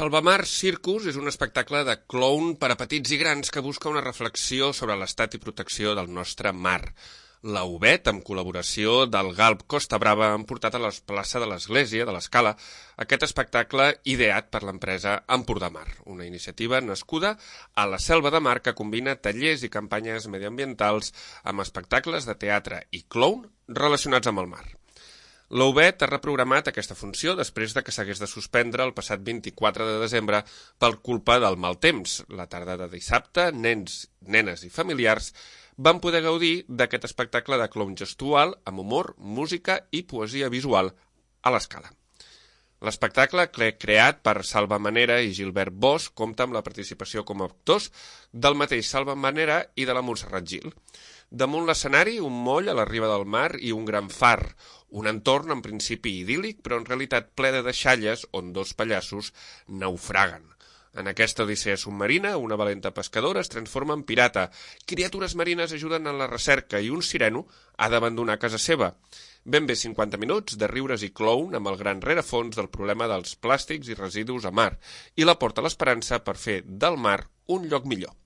Salvamar Circus és un espectacle de clown per a petits i grans que busca una reflexió sobre l'estat i protecció del nostre mar. La UBET, amb col·laboració del Galp Costa Brava, han portat a la plaça de l'Església, de l'Escala, aquest espectacle ideat per l'empresa Empordamar, una iniciativa nascuda a la Selva de Mar que combina tallers i campanyes mediambientals amb espectacles de teatre i clown relacionats amb el mar. La UBET ha reprogramat aquesta funció després de que s'hagués de suspendre el passat 24 de desembre per culpa del mal temps. La tarda de dissabte, nens, nenes i familiars van poder gaudir d'aquest espectacle de clown gestual amb humor, música i poesia visual a l'Escala. L'espectacle, creat per Salva Manera i Gilbert Bosch, compta amb la participació com a actors del mateix Salva Manera i de la Montserrat Gil. Damunt l'escenari, un moll a la riba del mar i un gran far, un entorn en principi idíl·lic, però en realitat ple de deixalles on dos pallassos naufraguen. En aquesta odissea submarina, una valenta pescadora es transforma en pirata, criatures marines ajuden en la recerca i un sireno ha d'abandonar casa seva. Ben bé 50 minuts de riures i clown amb el gran rerefons del problema dels plàstics i residus a mar i la porta a l'esperança per fer del mar un lloc millor.